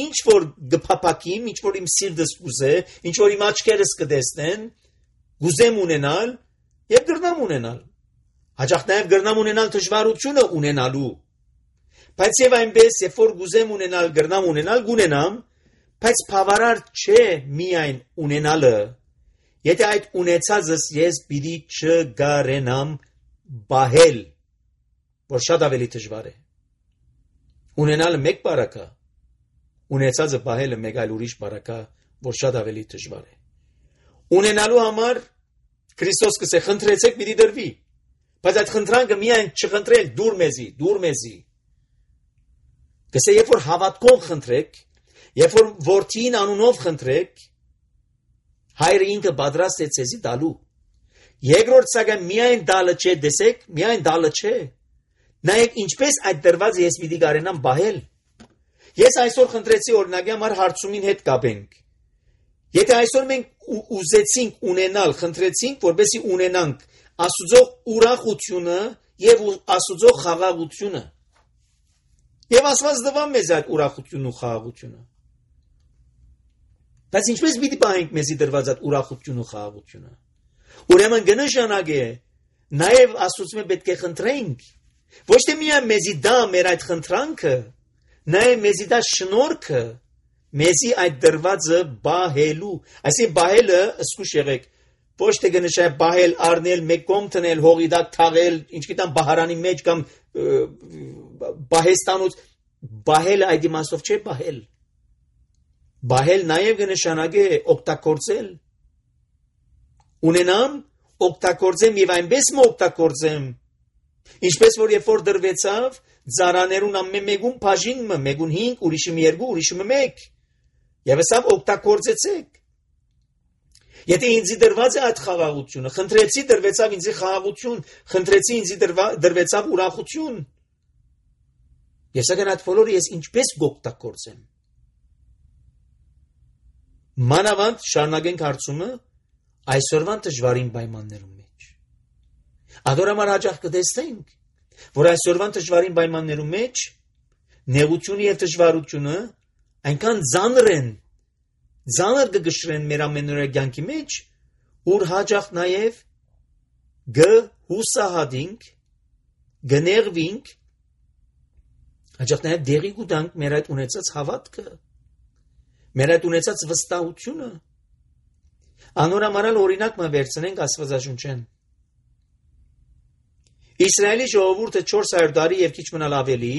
ինչ որ գփափակիմ, ինչ որ իմ սիրտս կուզե, ինչ որ իմ աչքերս կտեսնեն, կուզեմ ունենալ եւ գրնամ ունենալ։ Հաճախ նաեւ գրնամ ունենալ դժվարությունը ունենալու։ Բայց եւ այնպես, երբ որ կուզեմ ունենալ, գրնամ ունենալ, կունենամ, բայց բավարար չէ միայն ունենալը։ Եթե այդ ունեցածս ես պիտի չգարենամ բահել, որ շատ ավելի դժվար է։ Ունենալը մեկ բարակա, ունեցածը բահելը մեկ այլ ուրիշ բարակա, որ շատ ավելի դժվար է։ Ունենալու համար Քրիստոս կսե խնդրեցեք պիտի դրվի, բայց այդ խնդրանքը միայն չխնդրել դուր մեզի։ Կսե երբ որ հավատքով խնդրեք, երբ որ որդին անունով խնդրեք, հայրը ինքը պատրաստ է ցեզի տալու։ Երկրորդ սակայն միայն տալը չէ, դեսեք, միայն տալը չէ։ Նայեք ինչպես այդ դրված ես պիտի կարենամ բահել։ Ես այսօր խնդրեցի օրինակի համար հարցումին հետ կապենք։ Եթե այսօր մենք ուզեցինք ունենալ, խնդրեցինք, որպեսզի ունենանք Աստծո ուրախությունը եւ Աստծո խաղաղությունը։ Եվ Աստված տվավ մեզ այդ ուրախությունն ու խաղաղությունը։ Բայց ինչպես պիտի պահենք մեզի դրված այդ ուրախությունն ու խաղաղությունը։ Ուրեմն կնշանակե նաեւ Աստծո պետք է խնդրենք, ոչ թե միայն մեզի դա մեր այդ խնդրանքը, նաեւ մեզի դա շնորհքը, մեզի այդ դրվածը բահելու։ Այսինքն բահելը, սկուշ եղեք, ոչ թե կնշանակե բահել, առնել, մեկ կողմ տնել, հողի տակ թաղել, ինչ գիտեմ, բահարանի մեջ կամ բահեստանոց, բահելը այդ իմաստով չէ բահել։ Բահել նաև կնշանակե օգտագործել։ Ունենամ, օգտագործեմ եւ այնպես օգտագործեմ, ինչպես որ երբ որ դրվեցավ, ծառաներուն ամեն մեկուն բաժինը, մեկուն 5, ուրիշը 2, ուրիշը 1։ Եվ ասավ օգտագործեցեք։ Եթե ինձ դրված է այդ խաղաղությունը, խնդրեցի դրվեցավ ինձ խաղաղություն, խնդրեցի ինձ դրվեցավ ուրախություն։ Ես սակայն այդ բոլորը ես ինչպես կօգտագործեմ։ Մանավանդ շարունակենք հարցումը այսօրվան դժվարին պայմաններում մեջ։ Ադորամար հաճախ կտեսնենք, որ այսօրվան դժվարին պայմաններում մեջ նեղությունը եւ դժվարությունը այնքան ծանր կգշրեն մեր ամենօրյա կյանքի մեջ, ուր հաճախ նաեւ գհուսահատենք, գներվինք, հաճախ նաեւ դերի կուտանք մեր այդ ունեցած հավատքը, մեր այդ ունեցած վստահությունը։ Անորամարալ օրինակ մը վերցնենք Աստվածաշունչեն։ Իսրայելի ժողովուրդը 400 տարի եւ քիչ մնալ ավելի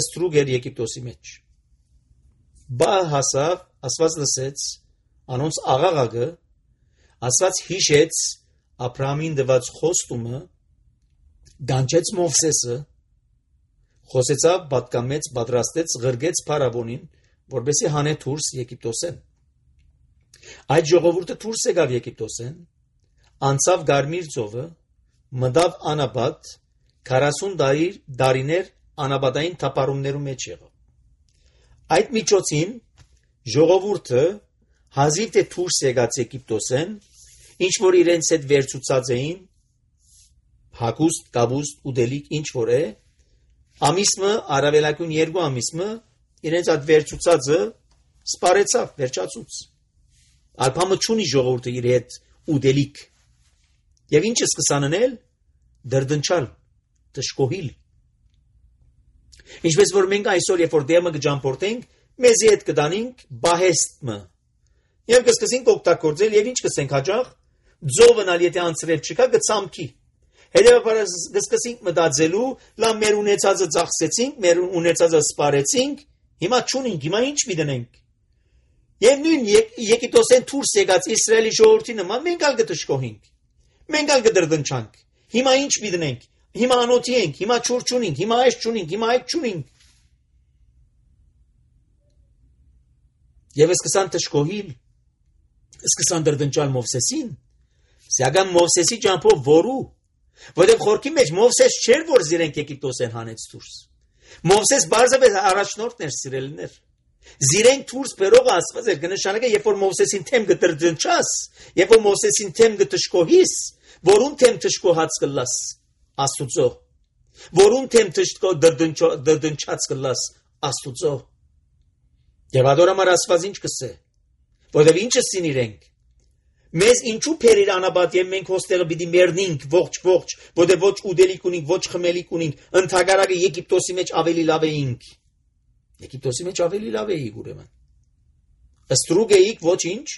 ստրուկ էր Եգիպտոսի մեջ։ Բա հասավ, Աստված լսեց անոնց աղաղակը, Աստված հիշեց Աբրահամին տված խոստումը, դանչեց Մովսեսը, խոսեցավ, պատկամեց, պատրաստեց, ղրգեց փարավոնին, որպեսզի հանե դուրս Եգիպտոսեն։ Այդ ժողովուրդը դուրս եկավ Եգիպտոսեն, անցավ Գարմիր ծովը, մտավ Անաբադ, 40 տարիներ անաբադային թափառումներում մեջ եղավ։ Այդ միջոցին ժողովուրդը հազիվ թե դուրս եկած Եգիպտոսեն, ինչ որ իրենց հետ վերցուցած էին, հագուստ, կաբուստ, ուտելիք, ինչ որ է, ամիսը, առավելագույն 2 ամիսը իրենց այդ վերցուցածը սպարեցավ, վերջացուց։ Ալփամը չունի ժողովուրդը իր հետ ուտելիք։ Եվ ինչ սկսան անել, դրդնչալ, դժկոհիլ։ Ինչպես որ մենք այսօր երբ որ դեմը կջամփորդենք, մեզի հետ կդանենք բահեստը։ Եվ կսկսենք օգտագործել եւ ինչ կսենք հաջող, ձովնալ եթե անցրել չկա կցամքի։ Հետևաբար կսկսենք մտածելու, լավ մեր ունեցածը ծախսեցինք, մեր ունեցածը սպարեցինք, հիմա չունենք, հիմա ինչ միտենք։ Եվ նույն Եգիպտոսեն դուրս եկած Իսրայելի ժողովրդի նման մենք ալ կդժկոհենք։ Մենք ալ կդրդնչանք։ Հիմա ինչ միտենք։ Հիմա անոթի ենք, հիմա չուր չունենք, հիմա այս չունենք, հիմա այդ չունենք։ Եվ սկսան դժկոհիլ, սկսան դրդնչալ Մովսեսին, սակայն Մովսեսի ճամփով որու, որտեղ խորքի մեջ Մովսես չէր, որ զիրենք Եգիպտոսեն հանեց դուրս։ Մովսես բարձրապես առաջնորդն էր սիրելիներ։ Զիրենք դուրս բերողը Աստված էր, կնշանակե, երբ որ Մովսեսին թեմ գտրդնչաս, երբ որ Մովսեսին թեմ գտշկոհիս, որուն թեմ թշկոհած կլաս Աստուծո, որուն թեմ դրդնչած կլաս Աստուծո։ Եվ adorամար Աստված ինչ կսե, որտեվ ինչը սին իրենք։ Մեզ ինչու փերիր անաբադ եւ մենք հոստեղը պիտի մեռնենք ողջ, որտեվ ոչ ուդելիք ունենք, ոչ խմելիք ունենք, ընդհանրակը Եգիպտոսի մեջ ավելի լավ էինք։ Եգիպտոսի մեջ ավելի լավ էիք ուրեմն։ Ստրուկ էիք ոչինչ,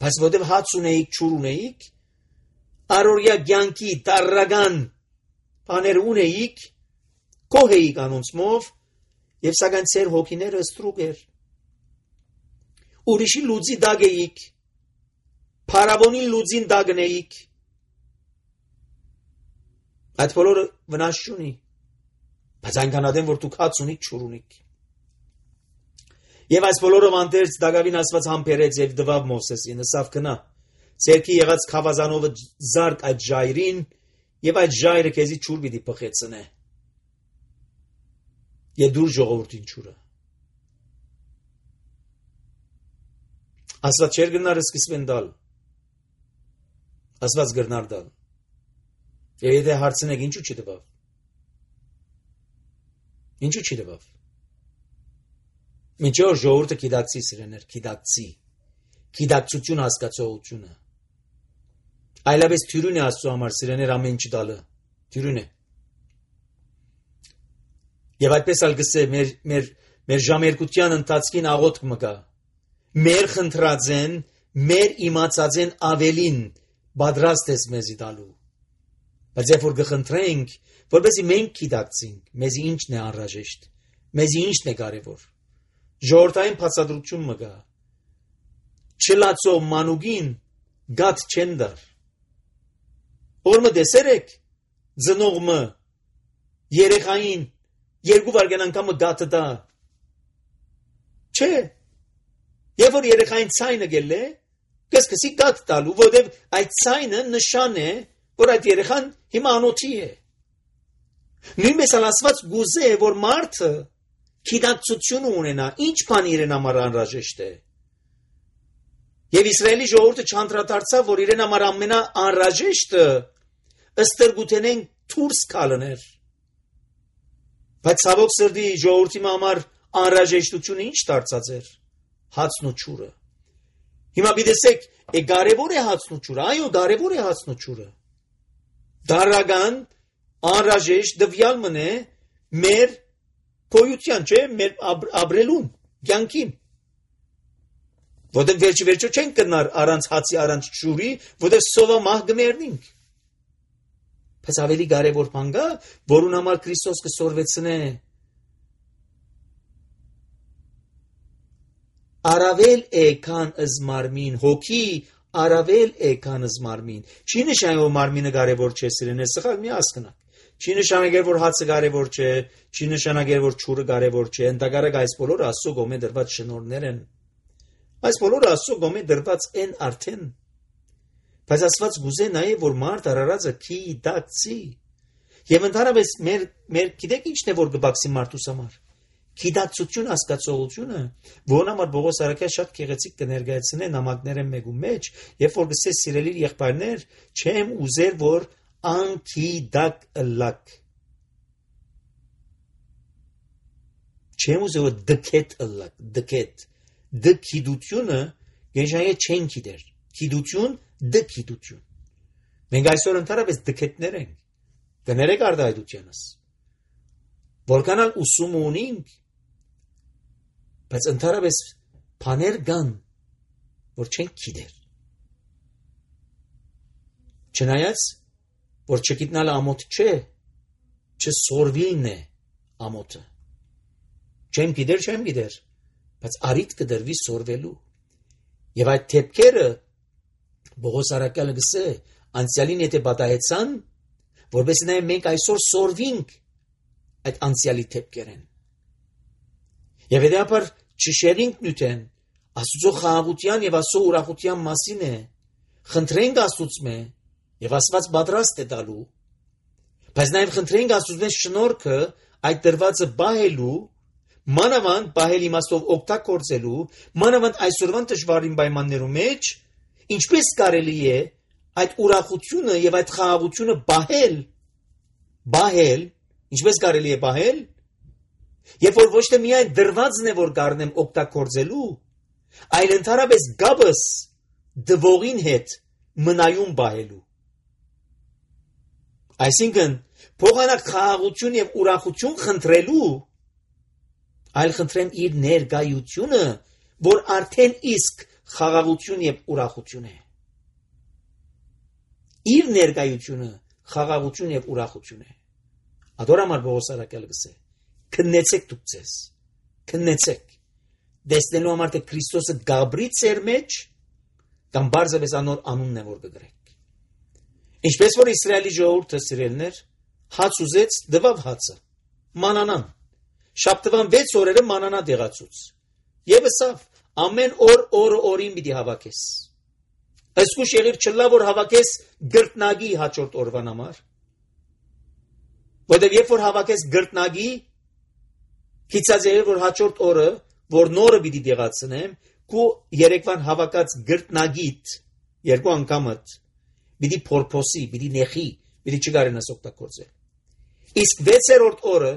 բայց որտեվ հաց ունեիք, ջուր ունեիք, առօրյա կյանքի տարրական բաներ ունեիք, կոհ էիք անոնցմով, եւ սակայն ծեր հոգիները ստրուկ էր։ Ուրիշի լուծի դագ էիք, փարավոնի լուծին դագն էիք։ Այդ բոլորը վնաս չունի, բայց այնքան ադեմ, որ դուք հաց ունիք, ջուր ունիք։ Եվ այս բոլորը մանտերց դագավին Աստված համբերեց եւ դվավ Մովսեսին, ասավ գնա, ցերքի եղած խավազանովը զարկ այդ ժայրին, եւ այդ ժայրը քեզի ջուր պիտի փխեցնե։ Եվ դուր ժողովրդին ջուրը։ Աստված չեր գնար սկսվեն դալ։ Աստված գրնար դալ։ Եվ եթե հարցնեք ինչու չդվավ։ Ինչու չդվավ։ Միջոր ժողովուրդը գիտակցի սիրեներ, գիտակցի։ Գիտակցություն հասկացողությունը։ Այլապես թյուրին է Աստծո համար սիրեներ ամեն ինչ դալը։ Թյուրին է։ Եվ այդպես ալ գսե մեր ժամերկության ընթացքին աղոթք մգա։ Մեր խնդրածեն, մեր իմացածեն ավելին պատրաստ ես մեզի տալու։ Բայց երբ որ գխնդրենք, որպեսզի մենք գիտակցենք, մեզի ինչն է անհրաժեշտ, մեզի ինչն է կարևոր։ Ժողովրդային բացատրություն մգա։ Չլացո մանուկին գատ չեն դար։ Օրմը դեսերեք ծնողը երեխային երկու վարգան անգամ գատը դա։ Չէ։ Երբ որ երեխային ցայնը գելե, կսկսի գատ տալու, որովհետև այդ ցայնը նշան է, որ այդ երեխան հիմա անոթի է։ Նույնպես Աստված գուզե, որ մարդը գիտակցություն ունենա, ինչ բան իրեն համար անհրաժեշտ է։ Եվ Իսրայելի ժողովուրդը չանդրադարձավ, որ իրեն համար ամենաանհրաժեշտը ըստրգութենեն դուրս գալներ։ Բայց ցավոք սրտի ժողովրդի համար անհրաժեշտությունը ինչ դարձած էր։ Հացն ու ջուրը։ Հիմա դիտեք, կարևոր է հացն ու ջուրը, այո, կարևոր է հացն ու ջուրը։ Դարական անհրաժեշտ դվյալ մնե մեր գոյության, չէ, մեր ապրելուն, կյանքին։ Որտեղ վերջը չեն կնար առանց հացի, առանց ջուրի, որտեղ սովամահ գմերնինք։ Բայց ավելի կարևոր բան կա, որուն համար Քրիստոս կսորվեցնե Արավել է քան զմարմին, հոգի արավել է քան զմարմին։ Չի նշանակում որ մարմինը կարևոր չէ, սիրելիներ, սխալ մի հասկանաք։ Չի նշանակում որ հացը կարևոր չէ, չի նշանակում որ ջուրը կարևոր չէ։ Ընդհակառակ այս բոլորը Աստծո կողմէ դրված շնորհներ են։ Այս բոլորը Աստծո կողմէ դրված են արդեն։ Բայց Աստված գուզե նաև որ մարդ արարածը գիտակցի։ Եվ ընդհանրապես մեր գիտեք ինչն է որ կբացի մարդուս համար։ Գիտակցություն հասկացողությունը, որն համար Պողոս Արաքյալը շատ գեղեցիկ կներկայացնե նամակները մեկու մեջ, երբ որ գսե սիրելի եղբայրներ, չեմ ուզեր որ անգիտակ ըլլակ։ Չեմ ուզեր որ դքետ ըլլակ, դքետ։ Դքիդությունը գեշայե չեն գիտեր։ Գիտություն, դքիդություն։ Մենք այսօր ընդհանրապես դքետներ ենք։ Կներեք արդայդությանս։ Որքանալ ուսում ունենք, բայց ընդհանրապես բաներ կան, որ չեն գիտեր։ Չնայած, որ չգիտնալը ամոթ չէ, չսորվիլն է ամոթը։ Չեմ գիտեր, բայց արիտ կդրվի սորվելու։ Եվ այդ թեփքերը Պողոս Արաքյալը գսե, անցյալին եթե պատահեցան, որպես նաև մենք այսօր սորվինք այդ անցյալի թեփքերեն։ Եվ հետապար չշերինք նյութեն, Աստծո խաղաղության եւ Աստծո ուրախության մասին է, խնդրենք Աստծո եւ Աստված պատրաստ է տալու, բայց նաեւ խնդրենք Աստծո շնորհքը այդ դրվածը բահելու, մանավանդ բահել իմաստով օգտագործելու, մանավանդ այսօրվան դժվարին պայմաններում մեջ, ինչպես կարելի է այդ ուրախությունը եւ այդ խաղաղությունը բահել, ինչպես կարելի է բահել, երբ որ ոչ թե միայն դրվածն է որ գարնեմ օգտագործելու, այլ ընդհանրապես գաբս դվողին հետ մնայուն բահելու։ Այսինքն փոխանակ խաղաղություն եւ ուրախություն խնդրելու, այլ խնդրեմ իր ներկայությունը, որ արդեն իսկ խաղաղություն եւ ուրախություն է։ Իր ներկայությունը խաղաղություն եւ ուրախություն է։ Ադորամար Պողոս Արաքյալը գսե. քննեցեք դուք ձեզ, քննեցեք, դեսնելու համար թե Քրիստոսը գաբրի ծեր մեջ, կամ բարձրապես անոր անունն է որ կգրեք։ Ինչպես որ Իսրայելի ժողովուրդը սիրելներ, հաց ուզեց, դվավ հացը, մանանան, շաբթվան 6 օրերը մանանա դեղացուց, եւ ասավ, ամեն օր օրին պիտի հավաքես։ Այսքուշ եղիր չլա որ հավաքես գրտնագի հաջորդ օրվան համար, որտեղ երբ որ հավաքես գրտնագի, քիծած եղիր որ հաջորդ օրը, որ նորը պիտի դեղացնեմ, քու երեկվան հավաքած գրտնագիտ երկու անգամդ պիտի փորփոսի, պիտի նեխի, պիտի չգարենաս օգտագործել։ Իսկ 6-րդ օրը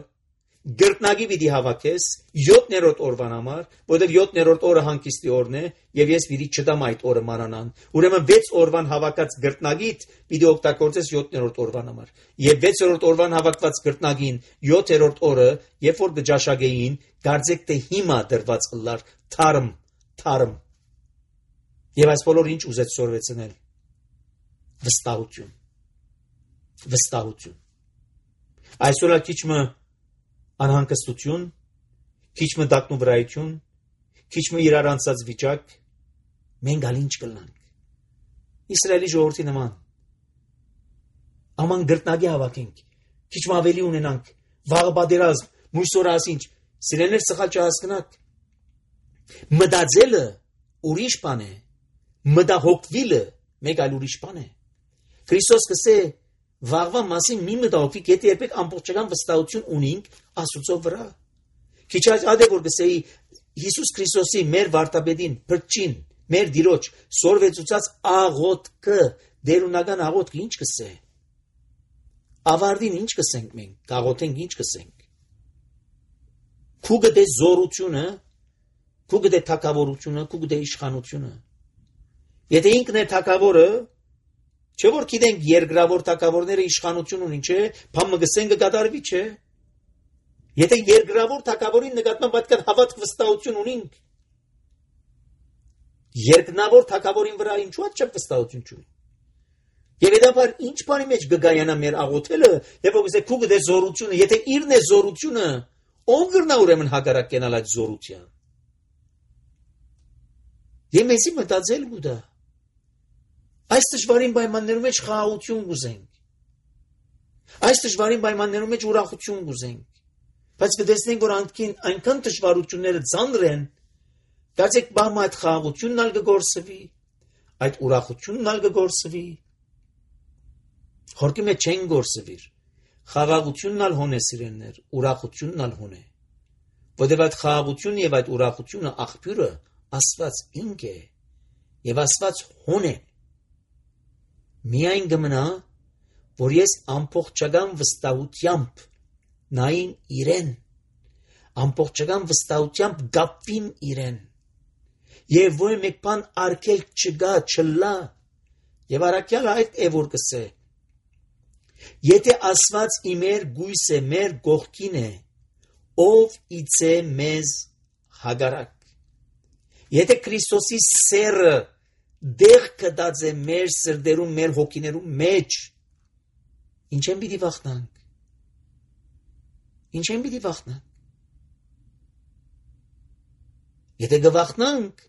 գրտնագի պիտի հավաքես 7-րդ օրվան համար, որտեղ 7-րդ օրը հանգիստի օրն է, եւ ես պիտի չտամ այդ օրը մանանան։ Ուրեմն 6 օրվան հավաքած գրտնագիտ պիտի օգտագործես 7-րդ օրվան համար։ Եվ 6-րդ օրվան հավաքված գրտնագին 7-րդ օրը, երբ որ գճաշագեին, դարձեք թե հիմա դրված ըլլար թարմ։ Եվ այս բոլոր ինչ ուզեց սորվեցնել։ Վստահություն։ Այսօր քիչմը անհանգստություն, քիչմը դակնուվրայություն, քիչմը իրար անցած վիճակ, մենք ալ ինչ կլանք։ Իսրայելի ժողովրդի նման աման գրտնագի հավաքենք, քիչմը ավելի ունենանք, վաղը պատերազմ, մույսօր ասինչ, սիրելներ սխալ չհասկնաք։ Մտածելը ուրիշ բան է, մտահոգվելը մեկ այլ ուրիշ բան է։ Քրիստոս կսե վաղվա մասին մի մտահոգվի, եթե երբեք ամբողջական վստահություն ունենք Աստծո վրա։ Քիչ այլ որ կսեի Հիսուս Քրիստոսի մեր վարտաբեդին, փրկչին, մեր Տիրոջ սորվեցուցած աղոթքը, դերունական աղոթքը ինչ կսե։ Ավարտին ինչ կսենք մենք, կաղոթենք ինչ կսենք։ Քու գտե զորությունը, քու գտե թակավորությունը, քու գտե իշխանությունը։ Եթե ինքն է թակավորը, չէ որ գիտենք երկրավոր թակավորները իշխանություն ունին, չէ, բամը գսեն կկատարվի, չէ։ Եթե երկրավոր թակավորին նկատմամբ այդքան հավատք վստահություն ունենք, երկնավոր թակավորին վրա ինչու այդ չափ վստահություն չունի։ Եվ հետաբար ինչ բանի մեջ կգայանա մեր աղոթելը, եւ ոգսե քու գտե զորությունը, եթե իրն է զորությունը, ով գրնա ուրեմն հակառակ կենալ այդ զորության։ Եվ մեզի մտածել գուտա։ Այս դժվարին պայմաններում մեջ խաղաղություն կուզենք։ Այս դժվարին պայմաններում մեջ ուրախություն կուզենք։ Բայց կտեսնենք, որ այնքան դժվարությունները ծանր են, դարձեք բամ այդ խաղաղությունն ալ կգործվի, այդ ուրախությունն ալ կգործվի։ Խորքի մեջ չեն գործվիր։ Խաղաղությունն ալ հոն է սիրելներ, ուրախությունն ալ հոն է։ Որտեղ այդ խաղաղությունը եւ այդ ուրախությունը աղբյուրը Աստված ինք է եւ Աստված հոն է։ Միայն գմնա, որ ես ամբողջական վստահությամբ նային իրեն, ամբողջական վստահությամբ գապվիմ իրեն, եւ որ մեկ բան արկել չգա, չլա, եւ առաքյալ այդ է որ կսե, եթե Աստված իմեր գույս է, մեր գողքին է, ով իցե մեզ հագարակ, եթե Քրիստոսի սերը դեղ կդած է մեր սրդերում, մեր հոգիներում մեջ, ինչ են պիտի վախնանք։ Ինչ են պիտի վախնանք։ Եթե գվախնանք,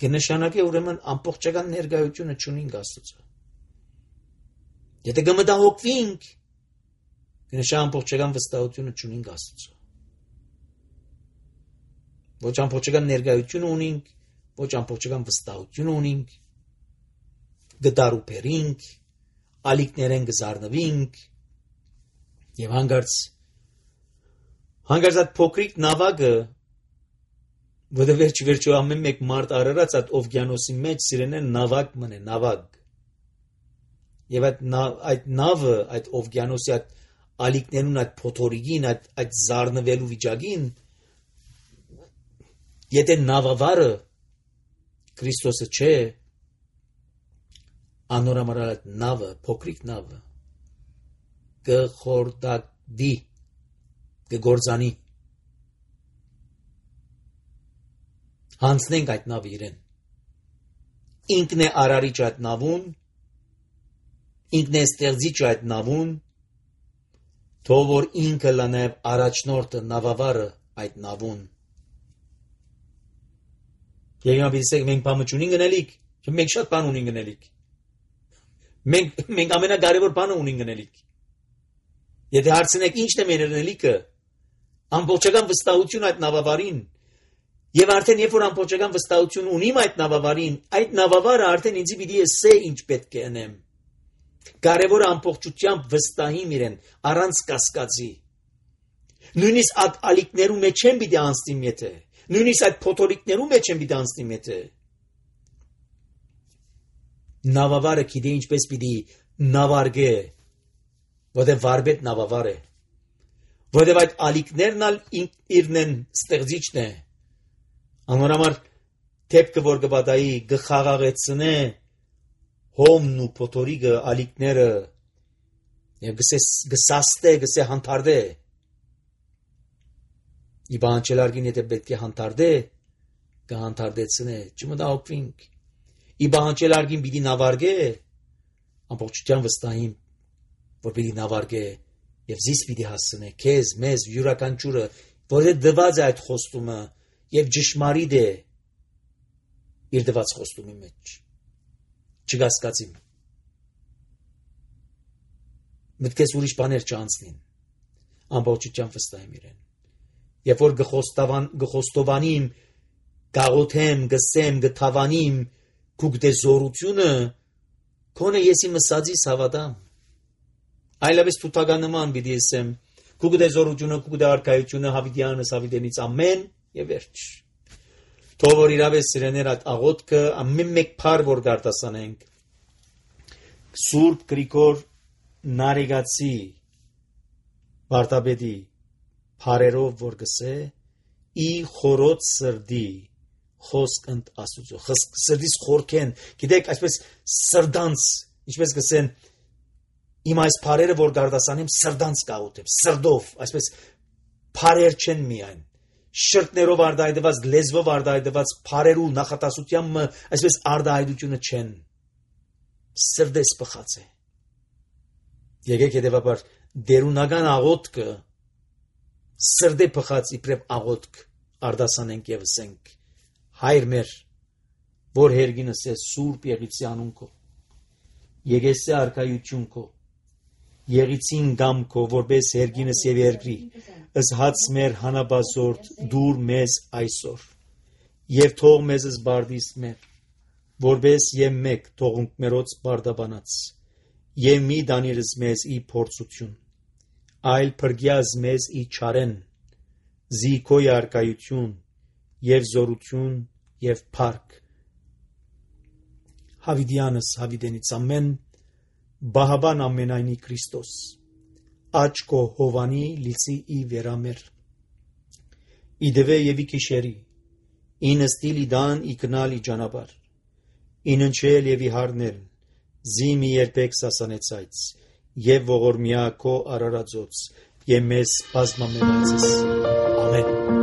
կնշանակի ուրեմն ամբողջական ներկայությունը չունենք Աստծո։ Եթե կմտահոգվենք, կնշանակի ամբողջական վստահությունը չունենք Աստծո։ Ոչ ամբողջական ներկայություն ունենք, ոչ ամբողջական վստահություն ունենք, գդարուփերինք, ալիքներեն գզարնվինք, եւ հանգարց Հանգարց այդ փոքրիկ նավակը, որը վերջի ամեն մեկ մարդ արարած այդ օվկիանոսի մեջ սիրեն նավակ մնե, նավակ։ Եվ այդ նավը, այդ օվկիանոսի այդ ալիքներուն, այդ փոթորիկին, այդ զարնվելու վիճակին, եթե նավավարը Քրիստոսը չէ, անորամար այդ նավը, փոքրիկ նավը, կխորտակվի, կգործանի։ Հանցնենք այդ նավը իրեն։ Ինքն է արարիչ այդ նավուն, ինքն է ստեղծիչ այդ նավուն, թող որ ինքը լա նաև առաջնորդը, նավավարը այդ նավուն։ Մենք բանը չունենք գնելիք, մենք շատ բան ունենք գնելիք։ Մենք ամենակարևոր բանը ունենք գնելիք։ Եթե հարցնեք ինչն է մեր գնելիքը, ամբողջական վստահություն այդ նավավարին, եւ արդեն երբ որ ամբողջական վստահություն ունիմ այդ նավավարը արդեն ինձ պիտի ասե ինչ պետք է անեմ։ Կարևորը ամբողջությամբ վստահիմ իրեն, առանց կասկածի։ Նույնիսկ այդ ալիքներու մեջ չեմ պիտի անցնիմ եթե, նույնիսկ այդ փոթորիկներու մեջ չեմ պիտի անցնիմ եթե։ Նավավարը գիտե ինչպես պիտի նավարգե, որտեղ վարպետ նավավար է, որտեղ այդ ալիքներն ալ իրն են ստեղծիչն է, անորամար թեփքը որ կբադայի գխաղաղեցնե հոմն ու փոթորիկը ալիքները եւ գսաստե գսե հանդարտե իբանչելարգին եթե պետք է հանդարտե կհանդարտեցնե չմտահոգվինք իբանչելարգին պիտի նավարգե ամբողջությամբ վստահիմ որ պիտի նավարգե եւ զիս պիտի հասցնե քեզ մեզ յուրաքանչյուրը որ դված է այդ խոստումը եւ ճշմարիտ է իր դված խոստումի մեջ չգասկածիմ մտքես ուրիշ բաներ չանցնին ամբողջությամբ վստահեմ իրեն երբ որ գխոստովանիմ գաղոթեմ գսեմ գթավանիմ քուգդե զորությունը քոնը եսի մսածիս հավատամ այլևս թութականնման պիտի ասեմ քուգդե զորությունը քուգդե արքայությունը հավիտյանս հավիտենից ամեն եւ վերջ թող որ իրավես սիրեներ այդ աղոթքը ամեն մեկ փար որ գարտասանենք Սուրբ Գրիգոր Նարեգացի Վարդապետի փարերով որ գսե ի խորոց սրդի խոսք ընդ Աստուծո սրդից խորքեն գիտեք այսպես սրդանց ինչպես գսեն իմ այս փարերը որ գարտասանեմ սրդանց կաղոթեմ սրդով այսպես փարեր չեն միայն շրտներով արդայդված լեզվով արդայդված փարերու նախատասությամբ այսպես արդայդությունը չեն սրդես բխած է եկեք հետևաբար դերունական աղոթքը սրդե բխած իբրև աղոթք արդասանենք եւ ասենք հայր մեր որ հերգինս է սուրբ եղիցի անուն քո եկեսե արքայություն քո եղիցին գամ քո որպես հերգինս եւ երկրի ըսհաց մեր հանաբազորդ դուր մեզ այսօր եւ թող մեզ զբարդիս մեր որպես եւ մեկ թողունք մերոց բարդաբանած եւ մի դանիրս մեզ ի փորձություն այլ փրկյազ մեզ ի չարեն զիքոյ արքայություն եւ զորություն եւ փառք հավիտյանս հավիտենից ամեն Բահաբան ամենայնի Քրիստոս աչքո հովանի լիցի ի վերամեր իդվե եւ ի քիշերի ինստիլի դան ի կնալ ի ճանապար ինընչել եւ ի հարնել զիմի երբեք սասանեցայց եւ ողորմյա քո արարածոց եւ մեզ բազմամենացես ամեն